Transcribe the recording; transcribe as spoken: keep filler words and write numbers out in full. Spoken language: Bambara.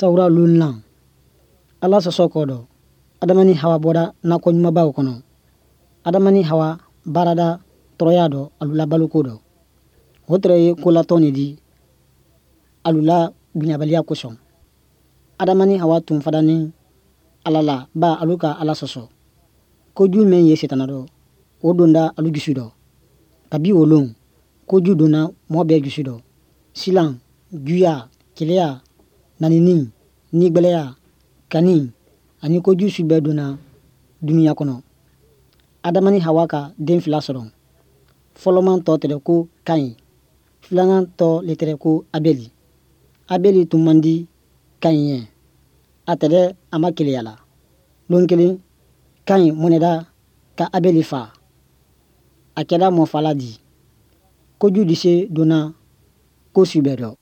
Sawura lon Ala sɔsɔ kɔ dɔ, Adama ni Hawa bɔra nakɔ ɲumanbaw kɔnɔ. Adama ni Hawa baarada tɔɔrɔya dɔ alu la baloko dɔ. O tɛrɛ ye kolatɔn de di alu la bonyabaliya kosɔn. Adama ni Hawa tun fadanin Ala la ba alu ka Ala sɔsɔ. Koju mɛn ye setana dɔ, o donda alu jusu dɔ. Kabi o lon, koju donna mɔgɔ bɛɛ jusu dɔ. Silan, juya, keleya, nanini, nigbɛlɛya, kani ani koju su bɛɛ donna dunuya kɔnɔ. Adama ni Hawa ka den fila sɔrɔ. Fɔlɔman tɔ tɛrɛ ko Kaɲi, filanan tɔ le tɛrɛ ko Abeli. Abeli tun man di Kaɲi ye. A tɛrɛ a ma keleya la. Lon kelen, Kaɲi mɔnɛda ka Abeli fa. A kɛra mɔfala di. Koju di se donna ko su bɛɛ dɔ.